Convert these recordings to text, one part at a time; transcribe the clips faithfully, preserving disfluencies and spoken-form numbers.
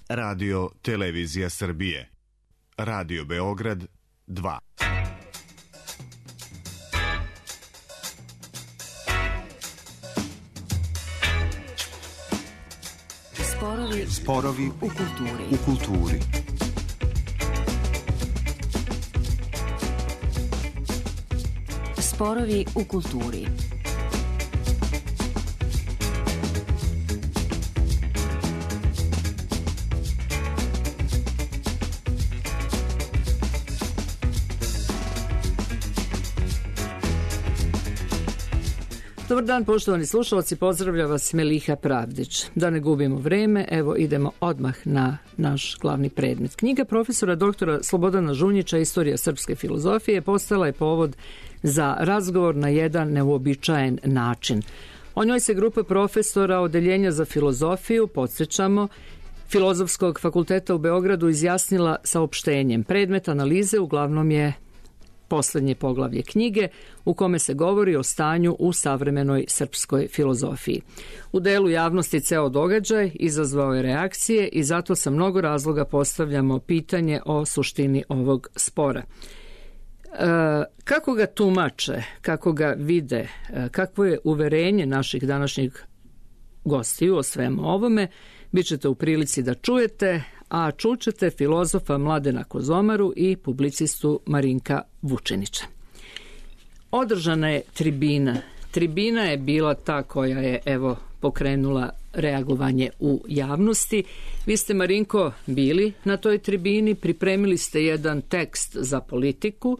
Radio Televizija Srbije. Radio Beograd dva. Sporovi, Sporovi u kulturi. U kulturi. Sporovi u kulturi. Dobar dan, poštovani slušalci, pozdravlja vas Meliha Pravdić. Da ne gubimo vreme, evo idemo odmah na naš glavni predmet. Knjiga profesora doktora Slobodana Žunjića Istorija srpske filozofije postala je povod za razgovor na jedan neuobičajen način. O njoj se grupa profesora Odeljenja za filozofiju, podsjećamo, Filozofskog fakulteta u Beogradu izjasnila saopštenjem. Predmet analize uglavnom je poslednje poglavlje knjige u kome se govori o stanju u savremenoj srpskoj filozofiji. U delu javnosti ceo događaj izazvao je reakcije i zato sa mnogo razloga postavljamo pitanje o suštini ovog spora. E, kako ga tumače, kako ga vide, e, kakvo je uverenje naših današnjih gostiju o svemu ovome, bit ćete u prilici da čujete, a čućete filozofa Mladena Kozomaru i publicistu Marinka Vučinića. Održana je tribina. Tribina je bila ta koja je, evo, pokrenula reagovanje u javnosti. Vi ste, Marinko, bili na toj tribini, pripremili ste jedan tekst za Politiku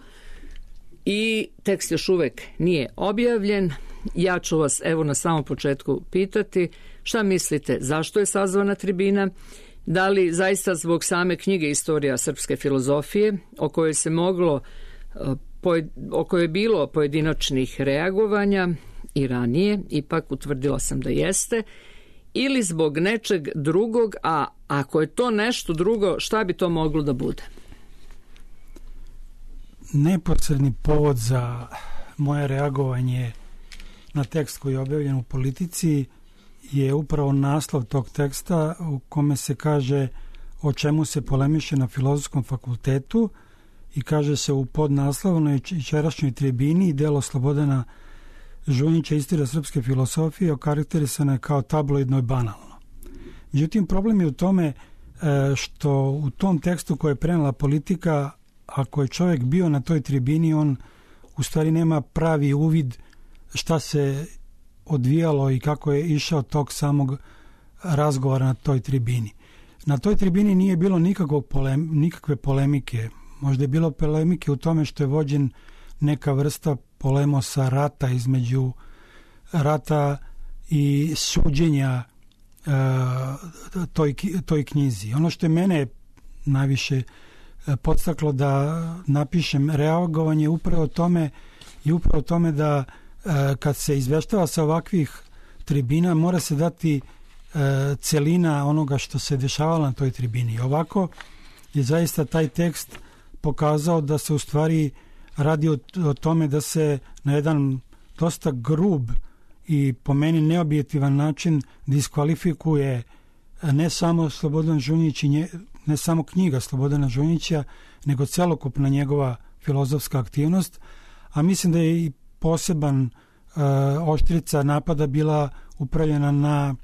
i tekst još uvek nije objavljen. Ja ću vas, evo, na samom početku pitati šta mislite, zašto je sazvana tribina? Da li zaista zbog same knjige Istorija srpske filozofije, o kojoj se moglo, o kojoj je bilo pojedinačnih reagovanja i ranije, ipak utvrdila sam da jeste, ili zbog nečeg drugog, a ako je to nešto drugo, šta bi to moglo da bude? Neposredni povod za moje reagovanje na tekst koji je objavljen u Politici je upravo naslov tog teksta u kome se kaže o čemu se polemiše na Filozofskom fakultetu i kaže se u podnaslovnoj jučerašnjoj tribini delo Slobodana Žunjića Istorija srpske filozofije okarakterisana je kao tabloidno i banalno. Međutim, problem je u tome što u tom tekstu koje je prenela Politika, ako je čovjek bio na toj tribini, on u stvari nema pravi uvid šta se odvijalo i kako je išao tog samog razgovora na toj tribini. Na toj tribini nije bilo nikakvog polem, nikakve polemike. Možda je bilo polemike u tome što je vođen neka vrsta polemosa rata između rata i suđenja uh, toj, toj knjizi. Ono što je mene najviše podstaklo da napišem reagovanje upravo tome i upravo tome da kad se izveštava sa ovakvih tribina mora se dati e, celina onoga što se dešavalo na toj tribini. Ovako je zaista taj tekst pokazao da se u stvari radi o, o tome da se na jedan dosta grub i po meni neobjektivan način diskvalifikuje ne samo Slobodan Žunjić i nje, ne samo knjiga Slobodana Žunjića, nego celokupna njegova filozofska aktivnost, a mislim da je i poseban uh, oštrica napada bila upravljena na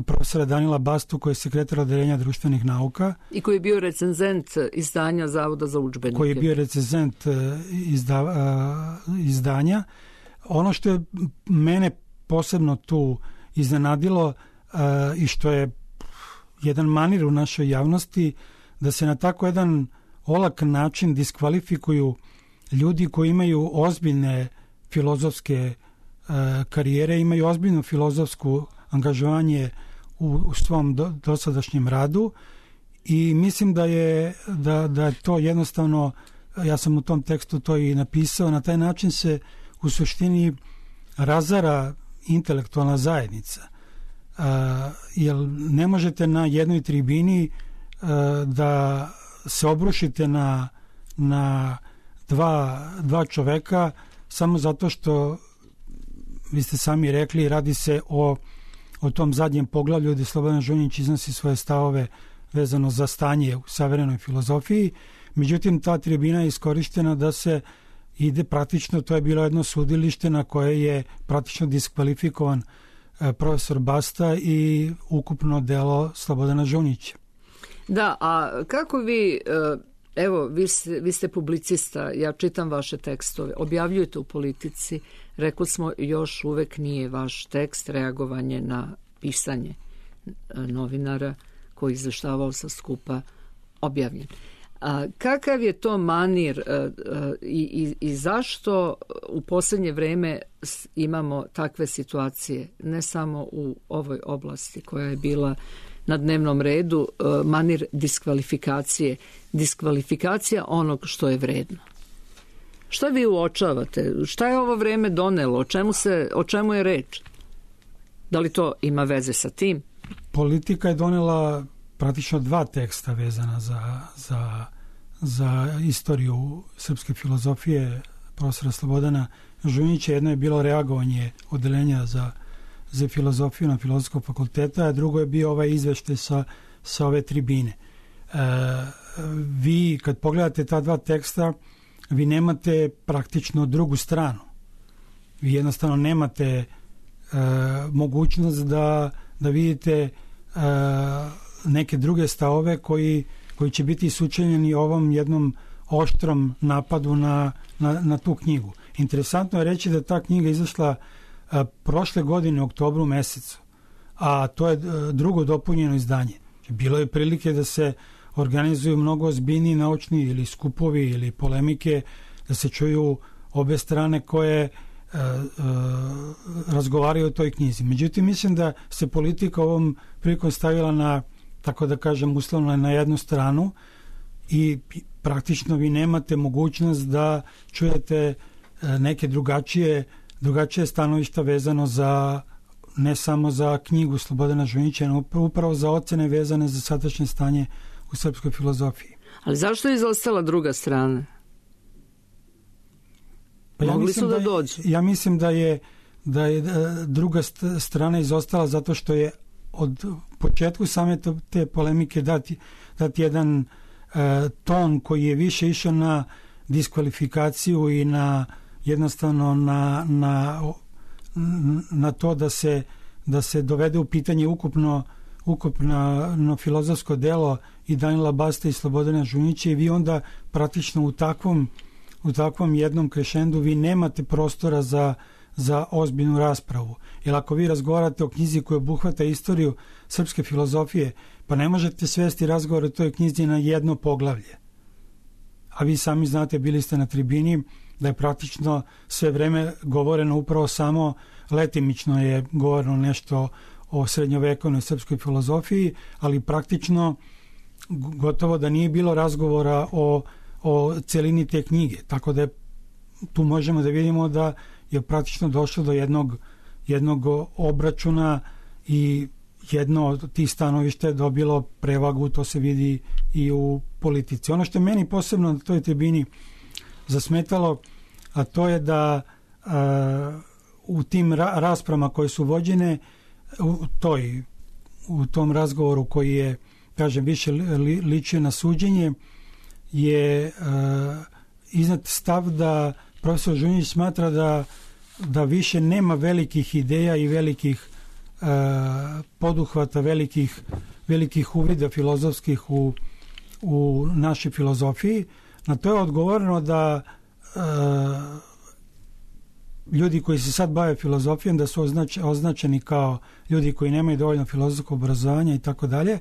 profesora Danila Bastu, koji je sekretar Odeljenja društvenih nauka. I koji je bio recenzent izdanja Zavoda za udžbenike. Koji je bio recenzent uh, izda, uh, izdanja. Ono što je mene posebno tu iznenadilo uh, i što je jedan manir u našoj javnosti, da se na tako jedan olak način diskvalifikuju ljudi koji imaju ozbiljne filozofske e, karijere, imaju ozbiljno filozofsku angažovanje u, u svom do, dosadašnjem radu i mislim da je, da, da je to jednostavno, ja sam u tom tekstu to i napisao, na taj način se u suštini razara intelektualna zajednica. E, jer ne možete na jednoj tribini e, da se obrušite na, na dva, dva čoveka samo zato što, vi ste sami rekli, radi se o, o tom zadnjem poglavlju gdje Slobodan Žunjić iznosi svoje stavove vezano za stanje u savremenoj filozofiji. Međutim, ta tribina je iskorištena da se ide praktično, to je bilo jedno sudilište na koje je praktično diskvalifikovan profesor Basta i ukupno delo Slobodana Žunjića. Da, a kako vi, evo, vi ste, vi ste publicista, ja čitam vaše tekstove, objavljujete u Politici, rekli smo, još uvek nije vaš tekst reagovanje na pisanje novinara koji izveštavao sa skupa objavljen. A kakav je to manir a, a, i, i, i zašto u posljednje vreme imamo takve situacije, ne samo u ovoj oblasti koja je bila na dnevnom redu, a, manir diskvalifikacije, diskvalifikacija onog što je vredno? Šta vi uočavate? Šta je ovo vreme donelo? O čemu, se, o čemu je reč? Da li to ima veze sa tim? Politika je donela praktično dva teksta vezana za, za, za istoriju srpske filozofije profesora Slobodana Žunjića. Jedno je bilo reagovanje odeljenja za, za filozofiju na Filozofskog fakulteta, a drugo je bio ovaj izveštaj sa, sa ove tribine. E, vi kad pogledate ta dva teksta, vi nemate praktično drugu stranu. Vi jednostavno nemate e, mogućnost da, da vidite e, neke druge stavove koji, koji će biti sučeljeni ovom jednom oštrom napadu na, na, na tu knjigu. Interesantno je reći da ta knjiga izašla a, prošle godine u oktobru mesecu, a to je a, drugo dopunjeno izdanje. Bilo je prilike da se organizuju mnogo ozbiljniji naučni ili skupovi ili polemike, da se čuju obe strane koje a, a, razgovaraju o toj knjizi. Međutim, mislim da se politika ovom prilikom stavila na, tako da kažem, uslovno na jednu stranu i praktično vi nemate mogućnost da čujete neke drugačije, drugačije stanovišta vezano za, ne samo za knjigu Slobodana Žunjića, no upravo za ocene vezane za sadašnje stanje u srpskoj filozofiji. Ali zašto je izostala druga strana? Pa ja Mogli su da, da dođu. Ja mislim da je, da je druga strana izostala zato što je od početku same te polemike dati, dati jedan e, ton koji je više išao na diskvalifikaciju i na jednostavno na, na, na to da se, da se dovede u pitanje ukupno, ukupno filozofsko delo i Danila Basta i Slobodana Žunjića, i vi onda praktično u takvom, u takvom jednom krešendu vi nemate prostora za, za ozbiljnu raspravu. Jer ako vi razgovarate o knjizi koja obuhvata istoriju srpske filozofije, pa ne možete svesti razgovor o toj knjizi na jedno poglavlje. A vi sami znate, bili ste na tribini, da je praktično sve vreme govoreno upravo samo letimično je govoreno nešto o srednjovekovnoj srpskoj filozofiji, ali praktično gotovo da nije bilo razgovora o, o celini te knjige. Tako da je, tu možemo da vidimo da je praktično došlo do jednog, jednog obračuna i jedno od tih stanovišta je dobilo prevagu, to se vidi i u politici. Ono što je meni posebno na toj tribini zasmetalo, a to je da a, u tim ra- raspravama koje su vođene u, toj, u tom razgovoru koji je, kažem, više li, ličio na suđenje, je a, iznad stav da profesor Žunjić smatra da, da više nema velikih ideja i velikih a, poduhvata, velikih, velikih uvida filozofskih u, u našoj filozofiji. Na to je odgovoreno da e, ljudi koji se sad bave filozofijom da su označ, označeni kao ljudi koji nemaju dovoljno filozofskog obrazovanja i tako dalje.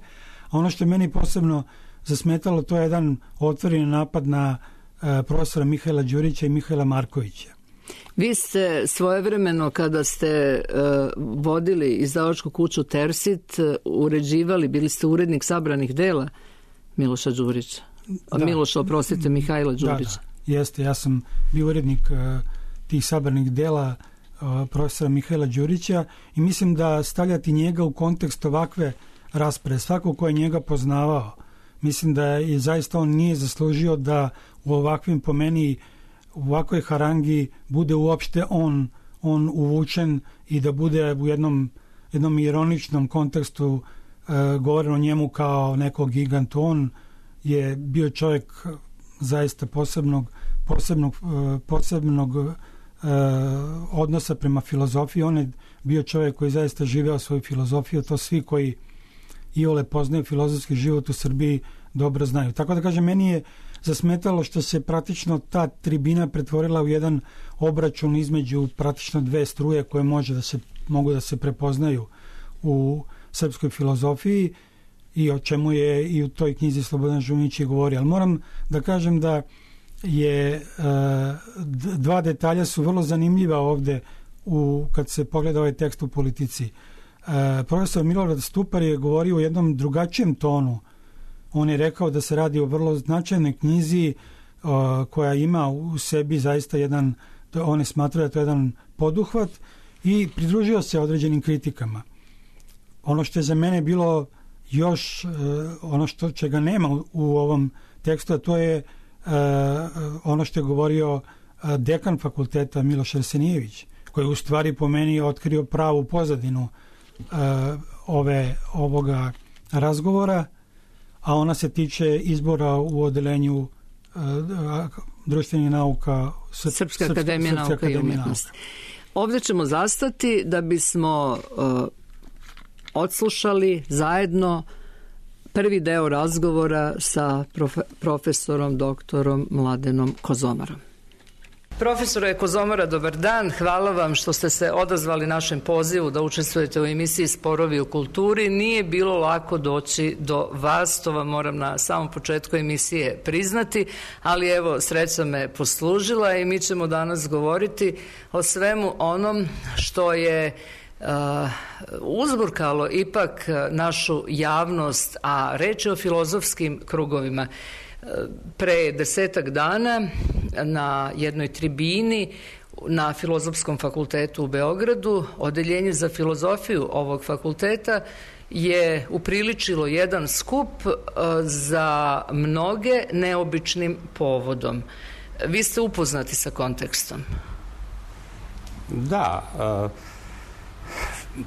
A ono što je meni posebno zasmetalo, to je jedan otvoreni napad na e, profesora Mihajla Đurića i Mihajla Markovića. Vi ste svojevremeno, kada ste uh, vodili izdavačku kuću Tersit, uh, uređivali, bili ste urednik sabranih dela Miloša Đurića. Da. Miloša, oprostite, Mihajla Đurića. Da, da, jeste, ja sam bio urednik uh, tih sabranih dela uh, profesora Mihajla Đurića i mislim da stavljati njega u kontekst ovakve rasprave, svako ko je njega poznavao, mislim da je zaista on nije zaslužio da u ovakvim, po meni, u ovakvoj harangi bude uopšte on, on uvučen i da bude u jednom, jednom ironičnom kontekstu govorim o njemu kao nekog giganta. On je bio čovjek zaista posebnog, posebnog, posebnog uh, odnosa prema filozofiji. On je bio čovjek koji zaista živeo svoju filozofiju. To svi koji iole poznaju filozofski život u Srbiji dobro znaju. Tako da kažem, meni je zasmetalo što se praktično ta tribina pretvorila u jedan obračun između praktično dve struje koje može da se, mogu da se prepoznaju u srpskoj filozofiji i o čemu je i u toj knjizi Slobodan Žunić i govori. Ali moram da kažem da je dva detalja su vrlo zanimljiva ovde u, kad se pogleda ovaj tekst u Politici. Profesor Milorad Stupar je govorio u jednom drugačijem tonu. On je rekao da se radi o vrlo značajnoj knjizi koja ima u sebi zaista jedan, on je smatrao da je to jedan poduhvat i pridružio se određenim kritikama. Ono što je za mene bilo još, ono što čega nema u ovom tekstu, a to je ono što je govorio dekan fakulteta Miloš Arsenijević, koji u stvari po meni otkrio pravu pozadinu ove, ovoga razgovora, a ona se tiče izbora u odelenju društvenih nauka Srpska, Srpska akademija nauka i umetnosti. Ovdje ćemo zastati da bismo uh, odslušali zajedno prvi deo razgovora sa profe, profesorom doktorom Mladenom Kozomarom. Profesore Kozomara, dobar dan. Hvala vam što ste se odazvali našem pozivu da učestvujete u emisiji Sporovi u kulturi. Nije bilo lako doći do vas, to vam moram na samom početku emisije priznati, ali evo, sreća me poslužila i mi ćemo danas govoriti o svemu onom što je Uh, uzburkalo ipak našu javnost, a reč je o filozofskim krugovima. Pre desetak dana na jednoj tribini na Filozofskom fakultetu u Beogradu odeljenje za filozofiju ovog fakulteta je upriličilo jedan skup za mnoge neobičnim povodom. Vi ste upoznati sa kontekstom? Da,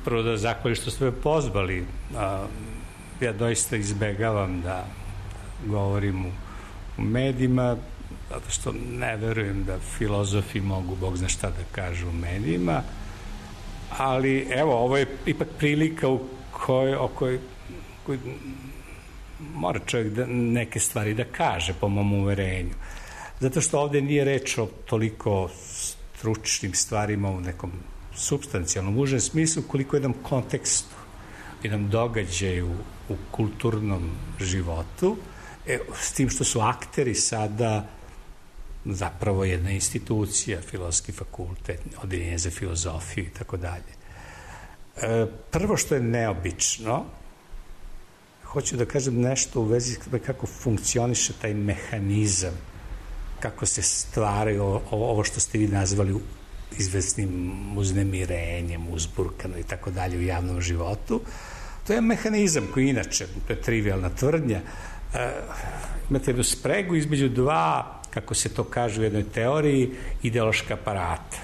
prvo da zahvalim što ste me pozvali. Ja doista izbegavam da govorim u u medijima, zato što ne verujem da filozofi mogu Bog zna šta da kažu u medijima, ali evo, ovo je ipak prilika u kojoj, o kojoj, kojoj mora čovjek da, neke stvari da kaže po mom uverenju. Zato što ovdje nije reč o toliko stručnim stvarima u nekom supstancijalnom, užem smislu, koliko jednom kontekstu, jednom događaju u kulturnom životu, E, s tim što su akteri sada zapravo jedna institucija, Filozofski fakultet, odeljenje za filozofiju i tako dalje. Prvo što je neobično, hoću da kažem nešto u vezi kako funkcioniše taj mehanizam, kako se stvaraju ovo što ste vi nazvali izvesnim uznemirenjem, uzburkano i tako dalje u javnom životu. To je mehanizam koji inače, to je trivialna tvrdnja, Uh, imate jednu spregu između dva, kako se to kaže u jednoj teoriji, ideološka aparata.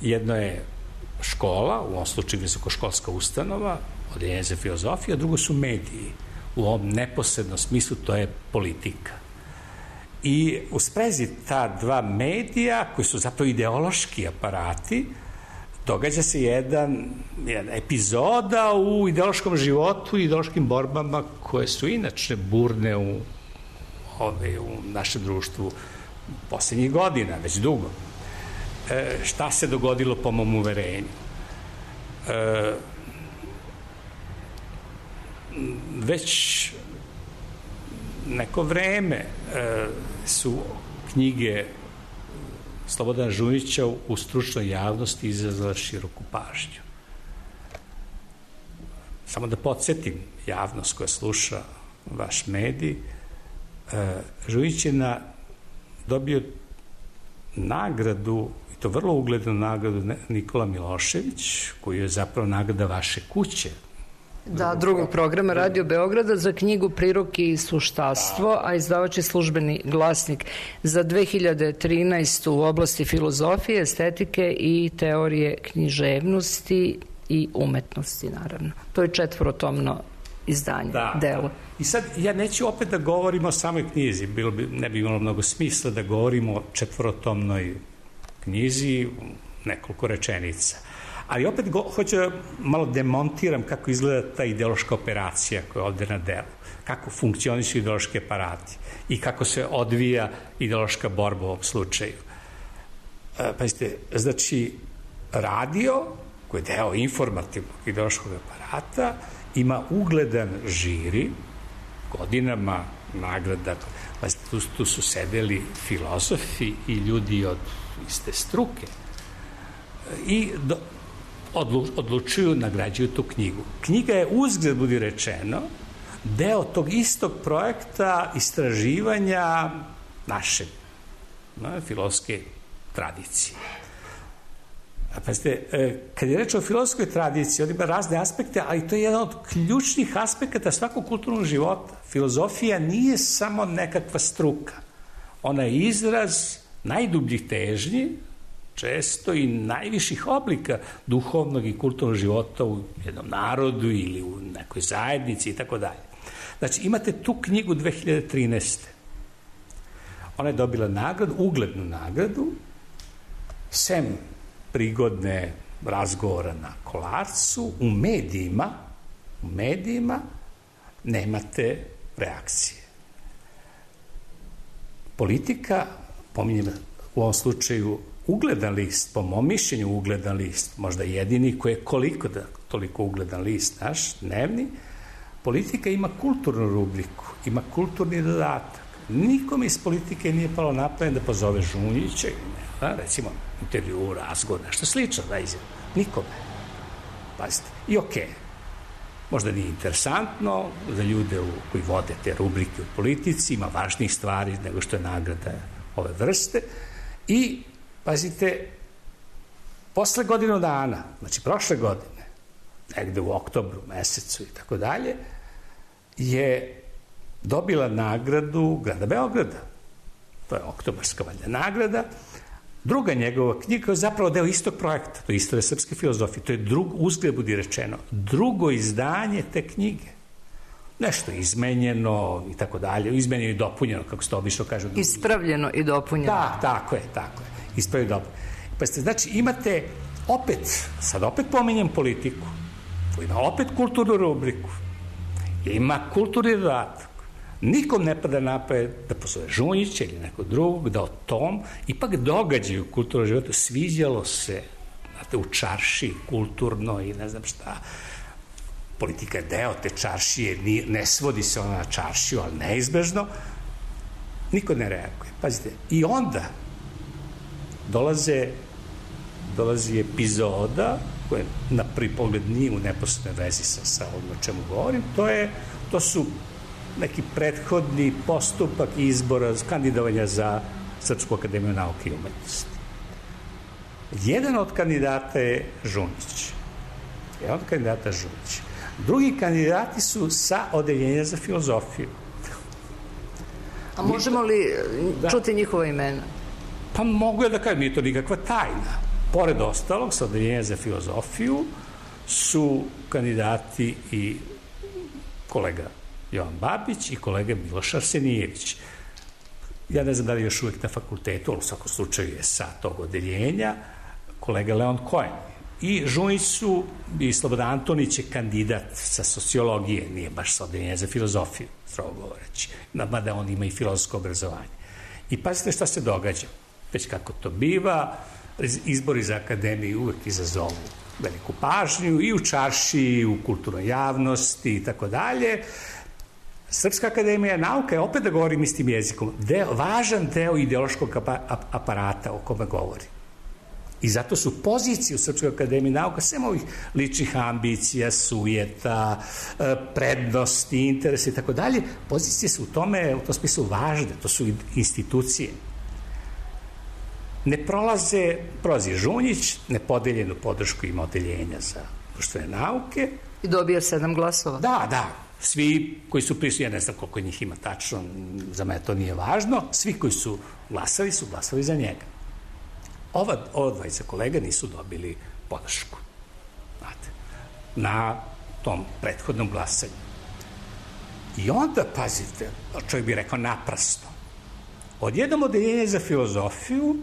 Jedno je škola, u ovom slučaju visokoškolska ustanova, odeljenje za filozofiju, a drugo su mediji. U ovom neposrednom smislu to je politika. I u sprezi ta dva medija, koji su zapravo ideološki aparati, događa se jedan, jedna epizoda u ideološkom životu i ideološkim borbama koje su inače burne u, ove, u našem društvu posljednjih godina, već dugo. E, šta se dogodilo po mom uverenju? E, već neko vreme e, su knjige Slobodana Žunića u stručnoj javnosti izazvala široku pažnju. Samo da podsjetim javnost koja sluša vaš medij, Žunić je na, dobio nagradu, i to vrlo uglednu nagradu Nikola Milošević, koju je zapravo nagrada vaše kuće. Da, drugog programa Radio Beograda za knjigu Priroki i suštastvo, a izdavač je Službeni glasnik za dve hiljade trinaestu u oblasti filozofije, estetike i teorije književnosti i umetnosti, naravno. To je četvorotomno izdanje, da, delo. Da. I sad ja neću opet da govorim o samoj knjizi, bilo bi, ne bi imalo mnogo smisla da govorimo o četvorotomnoj knjizi, nekoliko rečenica. Ali opet go, hoću da malo demontiram kako izgleda ta ideološka operacija koja je ovde na delu, kako funkcionišu ideološki aparati i kako se odvija ideološka borba u ovom slučaju. E, pazite, znači, radio, koji je deo informativnog ideološkog aparata, ima ugledan žiri, godinama nagrada, pazite, tu, tu su sedeli filozofi i ljudi od iste struke i do, odlu, odlučuju, nagrađuju tu knjigu. Knjiga je, uzgled budi rečeno, deo tog istog projekta istraživanja naše no, filozofske tradicije. Pazite, kad je reč o filozofskoj tradiciji, on ima razne aspekte, ali to je jedan od ključnih aspekata svakog kulturnog života. Filozofija nije samo nekakva struka. Ona je izraz najdubljih težnji, često i najviših oblika duhovnog i kulturnog života u jednom narodu ili u nekoj zajednici i tako dalje. Znači, imate tu knjigu dve hiljade trinaeste. Ona je dobila nagradu, uglednu nagradu, sem prigodne razgovora na Kolarcu, u medijima, u medijima nemate reakcije. Politika, pominjem u ovom slučaju ugledan list, po mom mišljenju ugledan list, možda jedini koji je koliko da toliko ugledan list naš, dnevni, Politika ima kulturnu rubriku, ima kulturni dodatak. Nikome iz Politike nije palo na pamet da pozove Žunjića, da, recimo intervju, razgovor, nešto slično da izjavi. Nikome. Pazite. I okej. Okay. Možda nije interesantno za ljude u, koji vode te rubrike u politici, ima važnijih stvari nego što je nagrada ove vrste. I, pazite, posle godinu dana, znači prošle godine, negde u oktobru, mesecu i tako dalje, je dobila nagradu grada Beograda. To je oktobarska valjda nagrada. Druga njegova knjiga je zapravo deo istog projekta, to je Istorija srpske filozofije. To je drug, uzgled budi rečeno, drugo izdanje te knjige. Nešto izmenjeno i tako dalje, izmenjeno i dopunjeno, kako se to obično kaže. Ispravljeno i dopunjeno. Da, tako je, tako je. Ispravljeno i dopunjeno. Pa ste, znači, imate opet, sad opet pominjem Politiku, ima opet kulturnu rubriku, ima kulturni dodatak. Nikom ne pada na pamet da pozove Žunjića ili nekog drugog, da o tom ipak događaju u kulturnom životu sviđalo se, znate, u čarši, kulturno i ne znam šta. Politika je deo te čaršije, ne svodi se ona na čaršiju, ali neizbežno. Niko ne reaguje. Pazite, i onda dolaze, dolazi epizoda koja na prvi pogled nije u neposrednoj vezi sa, sa ovim o čemu govorim, to, je, to su neki prethodni postupak izbora, kandidovanja za Srpsku akademiju nauke i umetnosti. Jedan od kandidata je Žunjić. Jedan od kandidata je Žunjić. Drugi kandidati su sa odeljenja za filozofiju. A možemo li da. čuti njihova imena? Pa mogu ja da kažem, nije to nikakva tajna. Pored ostalog, sa odeljenja za filozofiju su kandidati i kolega Jovan Babić i kolega Miloš Arsenijević. Ja ne znam da li još uvek na fakultetu, ali u svakom slučaju je sa tog odeljenja, kolega Leon Koen. I Žunjić su, i Slobodan Antonić je kandidat sa sociologije, nije baš sa odeljenja za filozofiju, strogo govoreći, mada on ima i filozofsko obrazovanje. I pazite šta se događa. Već kako to biva, izbori za akademiju uvek izazovu veliku pažnju i u čarši, i u kulturnoj javnosti i tako dalje. Srpska akademija nauka je, opet da govorim istim jezikom, deo, važan deo ideološkog aparata o kome govori. I zato su pozicije u Srpskoj akademiji nauka sem ovih ličnih ambicija, sujeta, prednosti, interesa i tako dalje. Pozicije su u tome, u tom smislu važne, to su institucije. Ne prolaze, prolazi Žunjić, nepodeljenu podršku ima odeljenja za društvene nauke. I dobio sedam glasova. Da, da. Svi koji su prisutni, ja ne znam koliko njih ima tačno, za mene to nije važno, svi koji su glasali su glasali za njega. Ova, ova dvajica kolega nisu dobili podršku. Znate. na tom prethodnom glasanju. I onda, pazite, čovjek bi rekao naprasno, odjednom odeljenje za filozofiju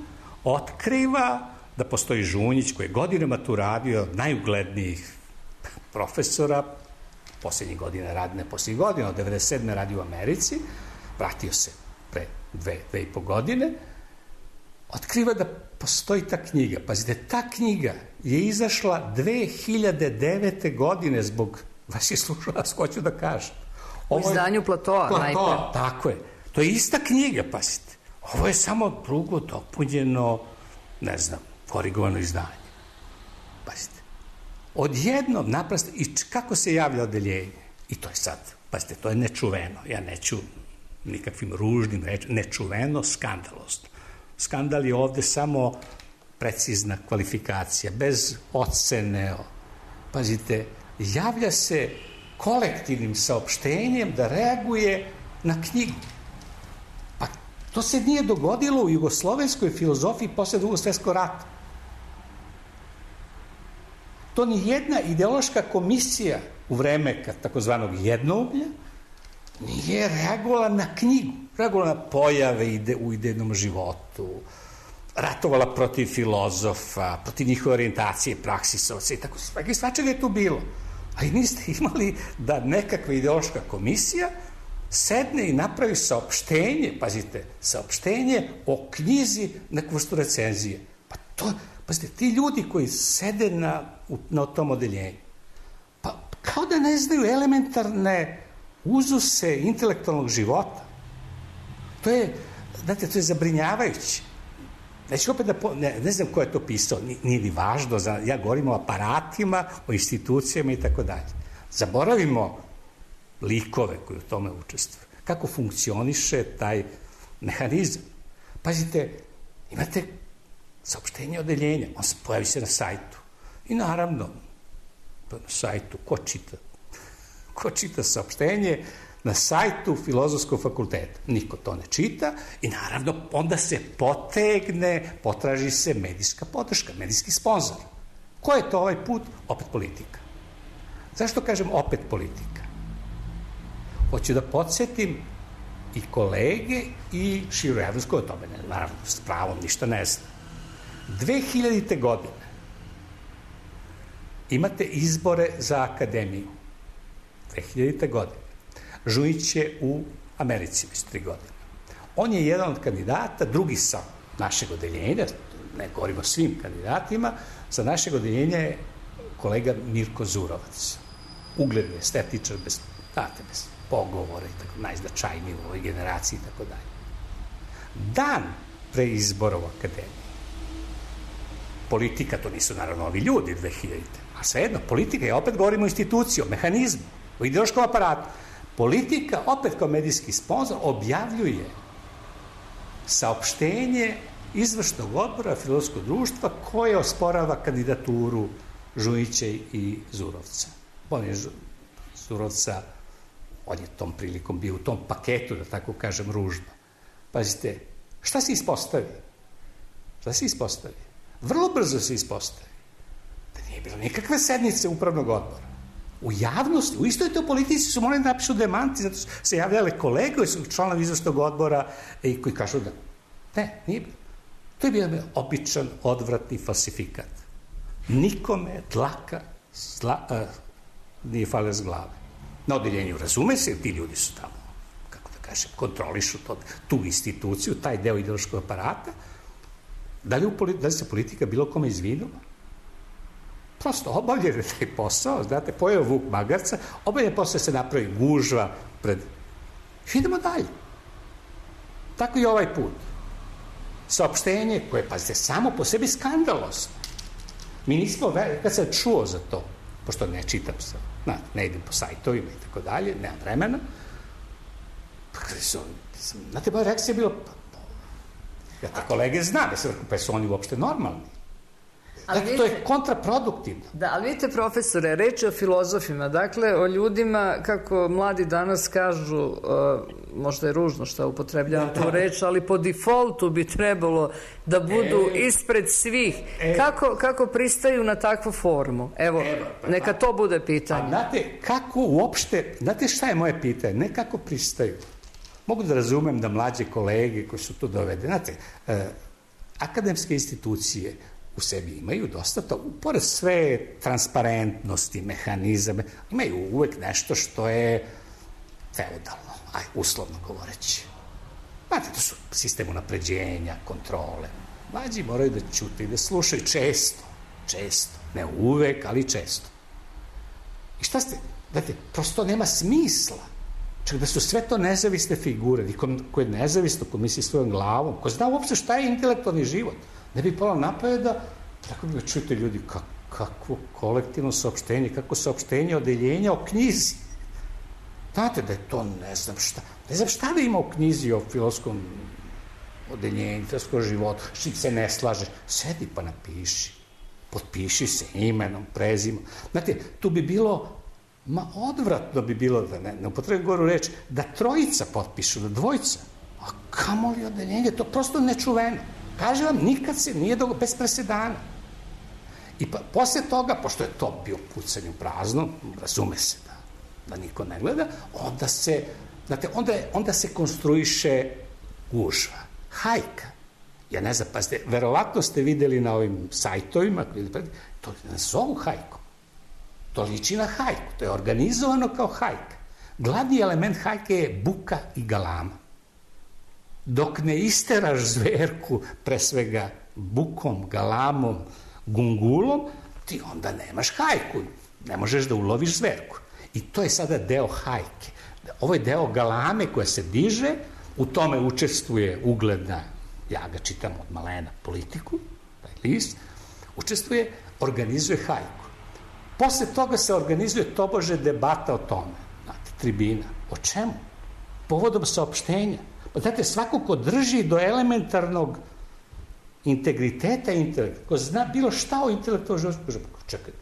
otkriva da postoji Žunjić koji je godinama tu radio, od najuglednijih profesora, posljednjih godina radi, ne posljednjih godina, od devedeset sedme radi u Americi, vratio se pre dve, dve i po godine, otkriva da postoji ta knjiga. Pazite, ta knjiga je izašla dve hiljade devete. godine zbog vaših slušalaca, hoću da kažem. U izdanju Platoa, Platoa, najpre. tako je. To je ista knjiga, pazite. Ovo je samo drugo dopunjeno, ne znam, korigovano izdanje. Pazite. Odjednom, naprosto, i kako se javlja odeljenje? I to je sad, pazite, to je nečuveno. Ja neću nikakvim ružnim rečima, nečuveno, skandalozno. Skandal je ovde samo precizna kvalifikacija, bez ocene. Pazite, javlja se kolektivnim saopštenjem da reaguje na knjigu. Pa to se nije dogodilo u jugoslovenskoj filozofiji posle Drugog svjetskog rata. To ni jedna ideološka komisija u vreme takozvanog jednouglja nije reagovala na knjigu, reagovala na pojave ide, u idejnom životu, ratovala protiv filozofa, protiv njihove orijentacije, praksisovca i tako sve. Svačega je tu bilo. Ali niste imali da nekakva ideološka komisija sedne i napravi saopštenje, pazite, saopštenje o knjizi neku vrstu recenzije. Pa to, pazite, ti ljudi koji sede na, na tom odeljenju, pa kao da ne znaju elementarne uzuse intelektualnog života. To je, znate, to je zabrinjavajuće. Neću opet da, po, ne, ne znam ko je to pisao, nije ni važno, za, ja govorim o aparatima, o institucijama i tako dalje. Zaboravimo likove koji u tome učestvuju. Kako funkcioniše taj mehanizam? Pazite, imate saopštenje odeljenja, on se pojavi se na sajtu. I naravno, na sajtu, ko čita? Ko čita saopštenje na sajtu Filozofskog fakulteta? Niko to ne čita i naravno onda se potegne, potraži se medijska podrška, medijski sponsor. Ko je to ovaj put? Opet politika. Zašto kažem opet politika? Hoću da podsjetim i kolege i širu javnost koje o tome ne, naravno, s pravom ništa ne zna. dve hiljadite. godine imate izbore za akademiju. dve hiljadite. godine. Žunjić je u Americi već tri godine. On je jedan od kandidata, drugi sa našeg odeljenja, ne govorimo o svim kandidatima, sa našeg odeljenja je kolega Mirko Zurovac. Ugledni estetičar, bez, znate, bez pogovora i tako, najznačajniji u ovoj generaciji i tako dalje. Dan pre izbora u akademiji, politika, to nisu naravno ovi ljudi dve hiljadite. A svejedno, politika je, opet govorimo o instituciji, o mehanizmu, o ideološkom aparatu. Politika, opet kao medijski sponsor, objavljuje saopštenje izvršnog odbora Filozofskog društva koje osporava kandidaturu Žunjića i Zurovca. On je Zurovca, on je tom prilikom bio u tom paketu, da tako kažem, ružno. Pazite, šta se ispostavi? Šta se ispostavi? Vrlo brzo se ispostavi da nije bilo nikakve sednice upravnog odbora. U javnosti, u istoj toj politici su morali da napišu demanti, zato su se javljale kolege koji su članovi izvršnog odbora i koji kažu da ne, nije bilo. To je bio običan, odvratni falsifikat. Nikome dlaka zla, uh, nije falila z glave. Na odeljenju razume se, ti ljudi su tamo, kako da kažem, kontrolišu to, tu instituciju, taj deo ideološkog aparata. Da li, u, da li se politika bilo kome izvinula? Prosto obavljaju taj posao, znate, pojeo vuk magarca, obavljaju posao se napravi gužva pred... Idemo dalje. Tako i ovaj put. Saopštenje koje, pazite, samo po sebi skandalosno. Mi nismo, kad sam čuo za to, pošto ne čitam se, na, ne idem po sajtovima i tako dalje, nemam vremena, pa kada su, znate, moja reakcija je bila, ja ta kolege znam, ja sam rekao, pa su oni uopšte normalni. Dakle, to je kontraproduktivno. Da, ali vidite, profesore, reč je o filozofima, dakle, o ljudima, kako mladi danas kažu, uh, možda je ružno što upotrebljavam da, tu da. reč, ali po defaultu bi trebalo da budu e, ispred svih. E, kako, kako pristaju na takvu formu? Evo, evo pa, neka to bude pitanje. A znate, kako uopšte, znate šta je moje pitanje? Ne kako pristaju. Mogu da razumem da mlađe kolege koji su tu dovede, znate, uh, akademske institucije u sebi imaju dosta to, pored sve transparentnosti, mehanizame, imaju uvek nešto što je feudalno, aj, uslovno govoreći. Znate, to su sistem unapređenja, kontrole. Mlađi moraju da ćute i da slušaju često, često, ne uvek, ali često. I šta ste, znate, prosto nema smisla. Čak da su sve to nezavisne figure, ko je nezavisno, ko misli svojom glavom, ko zna uopšte šta je intelektualni život. Ne bi palo napaje da, tako bi ga čujete ljudi, kak, kakvo kolektivno saopštenje, kako saopštenje odeljenja o knjizi. Znate da je to ne znam šta, ne znam šta da ima u knjizi o filozofskom odeljenju, filozofskom životu, što se ne slaže, sedi pa napiši, potpiši se imenom, prezimom. Znate, tu bi bilo, ma odvratno bi bilo, da ne, ne upotrebim goru reč, da trojica potpišu, da dvojica, a kamoli odeljenje, to prosto nečuveno. Kažem vam, nikad se nije dogo, bez presedana. I pa, posle toga, pošto je to bio pucanje u prazno, razume se da, da niko ne gleda, onda se, znate, onda, onda se konstruiše gužva, hajka. Ja ne znam, pa ste, verovatno ste videli na ovim sajtovima, to ne zovu hajkom. To liči na hajku, to je organizovano kao hajka. Glavni element hajke je buka i galama. Dok ne isteraš zverku, pre svega bukom, galamom, gungulom, ti onda nemaš hajku, ne možeš da uloviš zverku. I to je sada deo hajke. Ovo je deo galame koja se diže, u tome učestvuje ugledna, ja ga čitam od malena, Politiku, taj list, učestvuje, organizuje hajku. Posle toga se organizuje tobože debata o tome, znate, tribina. O čemu? Povodom saopštenja. Pa znate, svako ko drži do elementarnog integriteta intelekta, ko zna bilo šta o intelektualnom životu, kaže, čekaj,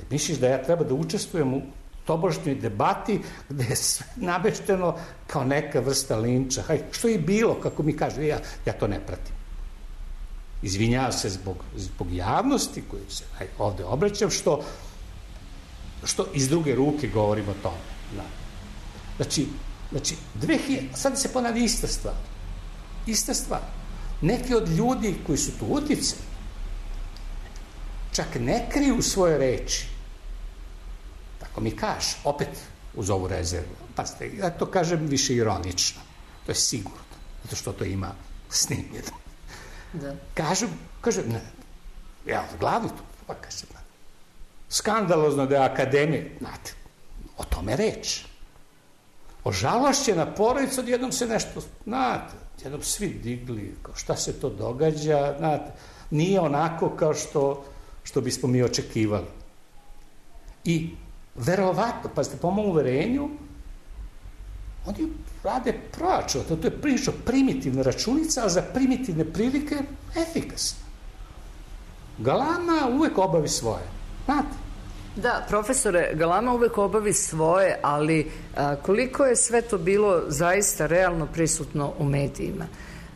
misliš da ja treba da učestvujem u tobožnjoj debati gde je sve nabešteno kao neka vrsta linča. Haj, što je bilo, kako mi kaže, ja, ja to ne pratim. Izvinjavam se zbog, zbog javnosti koju se haj, ovde obraćam, što, što iz druge ruke govorim o tome. Da. Znači, znači dve hiljade, sad se ponavlja ista stvar. Ista stvar. Neki od ljudi koji su tu uticali, čak ne kriju svoje reči. Tako mi kaže, opet uz ovu rezervu. Pazite, ja to kažem više ironično. To je sigurno, zato što to ima snimljeno. Da. Kažem, kažem, ne, ja glavno tu, pa kažem, ne. Skandalozno da je akademija, znate, o tome reč. Ožalošćena porodica, odjednom se nešto, znate, jednom svi digli, kao šta se to događa, znate, nije onako kao što, što bismo mi očekivali. I verovatno, pazite, po mom uverenju, oni rade proračun, to, to je prilično primitivna računica, a za primitivne prilike efikasna. Galama uvek obavi svoje, znate. Da, profesore, Galama uvek obavi svoje, ali a, koliko je sve to bilo zaista realno prisutno u medijima?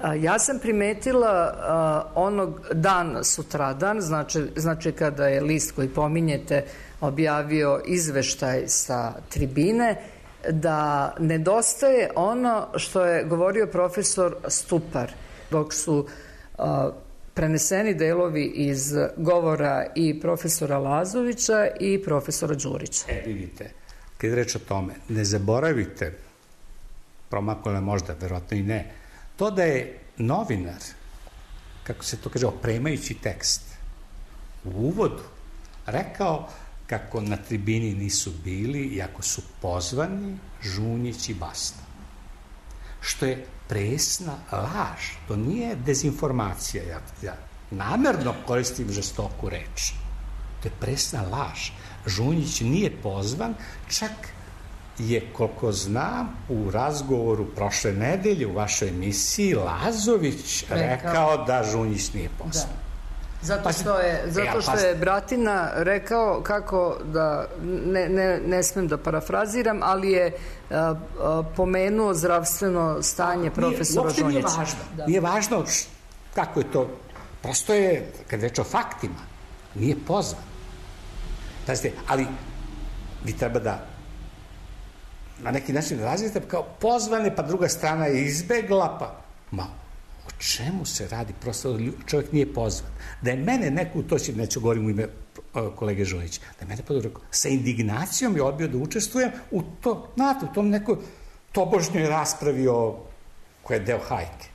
A, ja sam primetila a, onog dan sutradan, znači, znači kada je list koji pominjete objavio izveštaj sa tribine, da nedostaje ono što je govorio profesor Stupar, dok su a, preneseni delovi iz govora i profesora Lazovića i profesora Đurića. E, vidite, kad reč o tome, ne zaboravite, promakole možda, verovatno i ne, to da je novinar, kako se to kaže, opremajući tekst, u uvodu rekao kako na tribini nisu bili, iako su pozvani Žunjić i Basta. Što je presna laž, to nije dezinformacija, ja, ja namerno koristim žestoku reč. To je presna laž. Žunjić nije pozvan, čak je, koliko znam, u razgovoru prošle nedelje u vašoj emisiji Lazović rekao, rekao da Žunjić nije pozvan. Da. Zato što je, zato što je Bratina rekao kako da, ne, ne, ne smem da parafraziram, ali je a, a, pomenuo zdravstveno stanje profesora Žunjića. Nije važno, da. Nije važno kako je to, prosto je, kad reč o faktima, nije pozvan. Pazite, ali vi treba da na neki način razvijete kao pozvane, pa druga strana je izbegla, pa ma, o čemu se radi? Prosto čovjek nije pozvan. Da je mene neko, to će, neću govorim u ime kolege Žunjića, da je mene područio, sa indignacijom je odbio da učestvujem u to, znate, u tom nekoj tobožnjoj raspravi o, koja je deo hajke.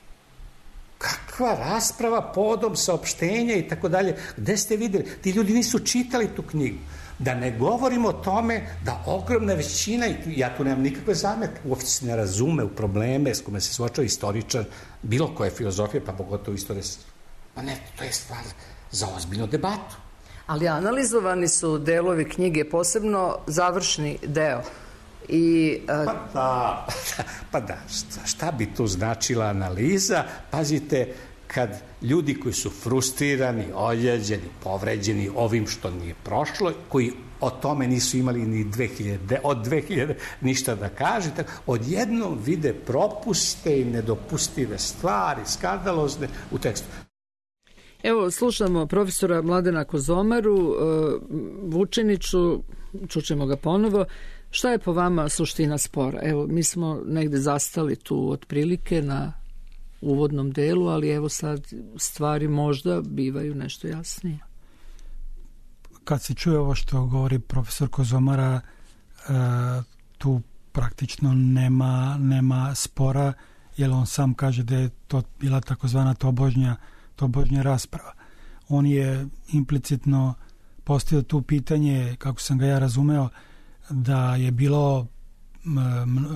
Kakva rasprava povodom saopštenja i tako dalje, gde ste videli? Ti ljudi nisu čitali tu knjigu. Da ne govorimo o tome da ogromna većina, i ja tu nemam nikakve zametke, uopće se ne razume u probleme s kojima se suočava istoričar, bilo koje filozofije, pa pogotovo istorije. Pa ne, to je stvar za ozbiljnu debatu. Ali analizovani su delovi knjige, posebno završni deo. I, a... Pa da, pa da, šta, šta bi tu značila analiza? Pazite, kad ljudi koji su frustrirani, oljeđeni, povređeni ovim što nije prošlo, koji o tome nisu imali ni dve hiljade, od dve hiljade ništa da kaže, odjednom vide propuste i nedopustive stvari, skandalozne u tekstu. Evo, slušamo profesora Mladena Kozomaru, Vučiniću, čućemo ga ponovo. Šta je po vama suština spora? Evo, mi smo negde zastali tu otprilike na uvodnom delu, ali evo sad stvari možda bivaju nešto jasnije. Kad se čuje ovo što govori profesor Kozomara, tu praktično nema, nema spora, jer on sam kaže da je to bila takozvana tobožnja, tobožnja rasprava. On je implicitno postavio tu pitanje, kako sam ga ja razumeo, da je bilo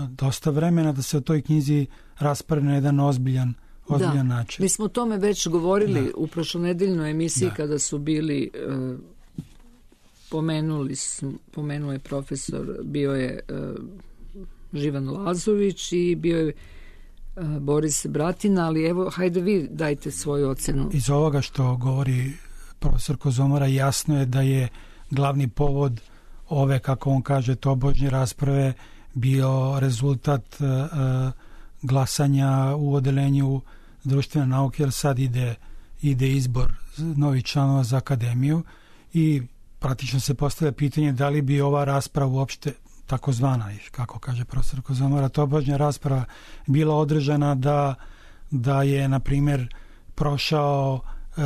dosta vremena da se o toj knjizi raspravi na jedan ozbiljan, ozbiljan da, način. Mi smo o tome već govorili da. u prošlonedeljnoj emisiji da. Kada su bili uh, pomenuli, pomenuo je profesor, bio je uh, Živan Lazović i bio je uh, Boris Bratina, ali evo, hajde vi dajte svoju ocenu. Iz ovoga što govori profesor Kozomara jasno je da je glavni povod ove, kako on kaže, tobožnje rasprave bio rezultat uh, glasanja u odelenju društvene nauke, jer sad ide, ide izbor novih članova za akademiju i praktično se postavlja pitanje da li bi ova rasprava uopšte takozvana, kako kaže profesor Kozomara, tobožnja rasprava bila održana da, da je, na primjer, prošao uh,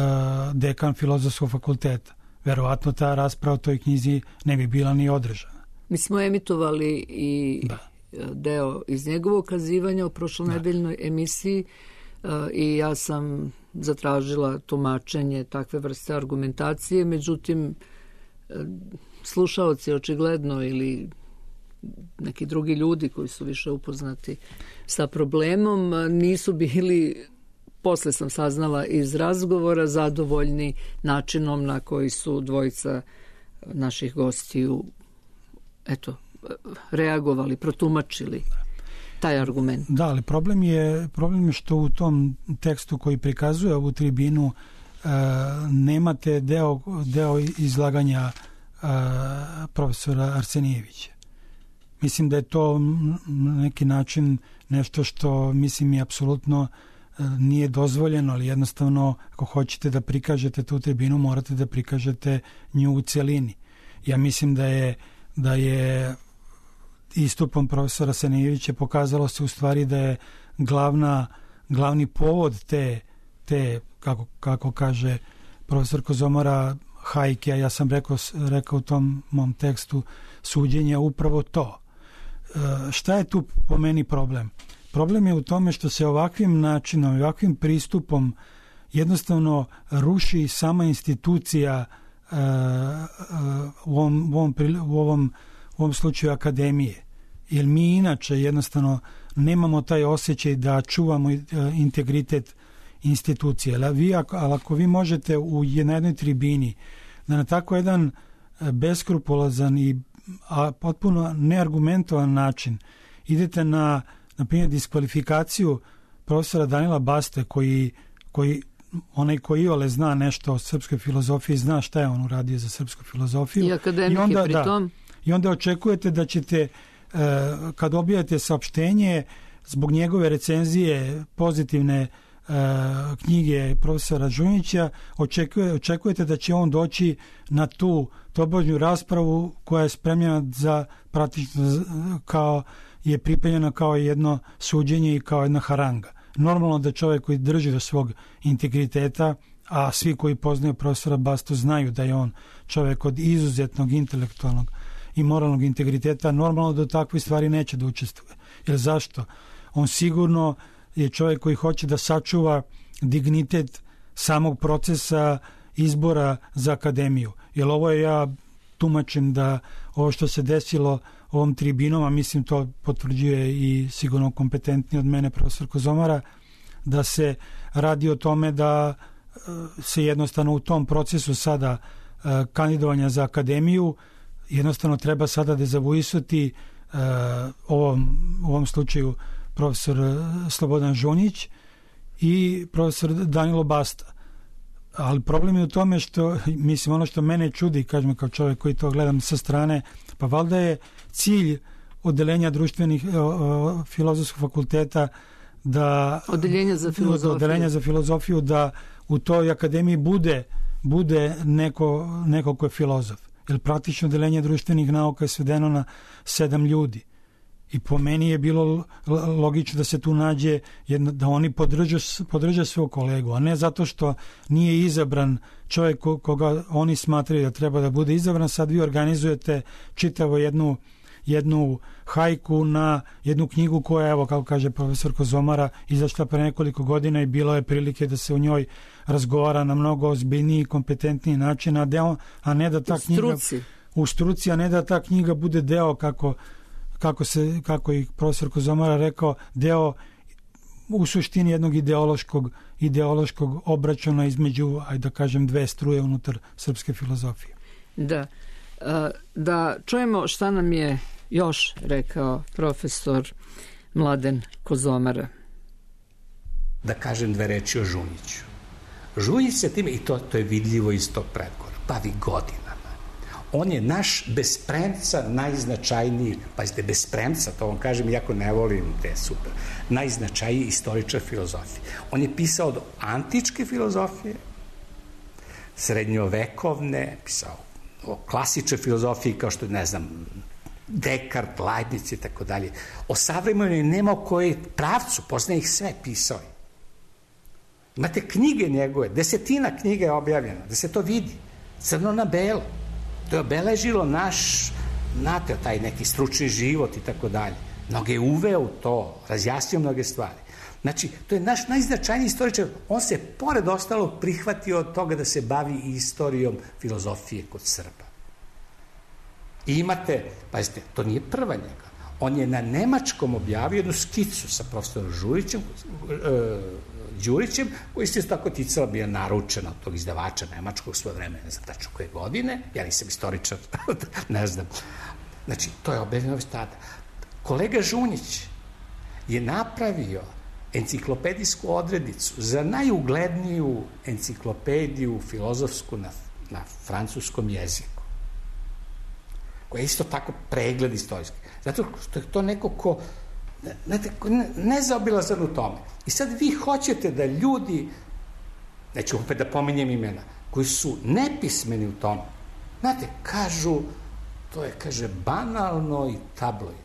dekan Filozofskog fakulteta. Verovatno ta rasprava o toj knjizi ne bi bila ni održana. Mi smo emitovali i da. deo iz njegovog kazivanja u prošlonedeljnoj da. emisiji uh, i ja sam zatražila tumačenje takve vrste argumentacije, međutim uh, slušaoci očigledno ili neki drugi ljudi koji su više upoznati sa problemom uh, nisu bili, posle sam saznala iz razgovora, zadovoljni načinom na koji su dvojica naših gostiju eto, reagovali, protumačili taj argument. Da, ali problem je, problem je što u tom tekstu koji prikazuje ovu tribinu e, nemate deo, deo izlaganja e, profesora Arsenijevića. Mislim da je to na neki način nešto što, mislim, je apsolutno nije dozvoljeno, ali jednostavno ako hoćete da prikažete tu tribinu, morate da prikažete nju u celini. Ja mislim da je, da je istupom profesora Arsenijevića pokazalo se u stvari da je glavna, glavni povod te, te kako, kako kaže profesor Kozomara, hajke, a ja sam rekao, rekao u tom mom tekstu suđenja upravo to. E, šta je tu po meni problem? Problem je u tome što se ovakvim načinom, ovakvim pristupom jednostavno ruši sama institucija uh, uh, u, ovom, u, ovom, u, ovom, u ovom slučaju akademije. Jer mi inače jednostavno nemamo taj osjećaj da čuvamo uh, integritet institucije. Ali, vi, ako, ali ako vi možete u jednoj tribini da na tako jedan beskrupulozan i a, potpuno neargumentovan način idete na na primjer diskvalifikaciju profesora Danila Baste koji, koji onaj koji iole zna nešto o srpskoj filozofiji, zna šta je on uradio za srpsku filozofiju. I akademik I onda, je pri tom. Da, I onda očekujete da ćete, kad objavite saopštenje, zbog njegove recenzije pozitivne knjige profesora Žunjića, očekuje, očekujete da će on doći na tu tobožnju raspravu koja je spremljena za praktično kao je pripremljena kao jedno suđenje i kao jedna haranga. Normalno da čovjek koji drži do svog integriteta, a svi koji poznaju profesora Bastu znaju da je on čovjek od izuzetnog intelektualnog i moralnog integriteta, normalno da u takvih stvari neće da učestvuje. Jer zašto? On sigurno je čovjek koji hoće da sačuva dignitet samog procesa izbora za akademiju. Jer ovo je, ja tumačim da ovo što se desilo ovom tribinom, a mislim to potvrđuje i sigurno kompetentni od mene profesor Kozomara, da se radi o tome da se jednostavno u tom procesu sada kandidovanja za akademiju jednostavno treba sada dezavuisati ovom, u ovom slučaju profesor Slobodan Žunjić i profesor Danilo Basta. Ali problem je u tome što, mislim, ono što mene čudi, kažem kao čovjek koji to gledam sa strane, pa valjda je cilj odeljenja društvenih o, o, filozofskog fakulteta da odeljenja za filozofiju. odeljenja za filozofiju da u toj akademiji bude bude neko, neko ko je filozof. Jer praktično odeljenje društvenih nauka je svedeno na sedam ljudi. I po meni je bilo logično da se tu nađe jedno, da oni podržu, podržu svog kolegu, a ne zato što nije izabran čovjek koga oni smatraju da treba da bude izabran. Sad vi organizujete čitavo jednu jednu hajku na jednu knjigu koja, evo, kako kaže profesor Kozomara, izašla pre nekoliko godina i bilo je prilike da se u njoj razgovara na mnogo ozbiljniji i kompetentniji način, a, deo, a ne da ta knjiga u struci, a ne da ta knjiga bude deo, kako, kako, se, kako i profesor Kozomara rekao, deo u suštini jednog ideološkog, ideološkog obračuna između, ajde da kažem, dve struje unutar srpske filozofije. Da. Da čujemo šta nam je još rekao profesor Mladen Kozomara. Da kažem dve reči o Žunjiću. Žunjić se time, i to, to je vidljivo iz tog predgovora, bavi godinama. On je naš bez premca najznačajniji, pazite, bez premca, to vam kažem, iako ne volim te super, najznačajniji istoričar filozofije. On je pisao od antičke filozofije, srednjovekovne, pisao o klasičnoj filozofiji kao što, ne znam, Dekart, Leibniz i tako dalje. O savremenoj nema o kojoj pravcu, poznaje ih sve, pisao je. Imate knjige njegove, desetina knjiga je objavljena, da se to vidi, crno na belo. To je obeležilo naš, znate, taj neki stručni život i tako dalje. Mnoge je uveo u to, razjasnio mnoge stvari. Znači, to je naš najznačajniji istoričar. On se, pored ostalog, prihvatio od toga da se bavi istorijom filozofije kod Srba. I imate, pazite, to nije prva njega. On je na nemačkom objavio jednu skicu sa profesorom Žurićem, e, Đurićem, koji se tako ticala, bio naručena od tog izdavača nemačkog svoje vreme, ne znam tačno koje godine, ja nisam istoričar, ne znam. Znači, to je objavljeno već tada. Kolega Žunjić je napravio enciklopedijsku odrednicu za najugledniju enciklopediju filozofsku na, na francuskom jeziku, koja je isto tako pregled istorijski. Zato što je to neko ko ne, ne, nezaobilazan u tome. I sad vi hoćete da ljudi, neću opet da pominjem imena, koji su nepismeni u tome, znate, kažu, to je, kaže, banalno i tabloidno.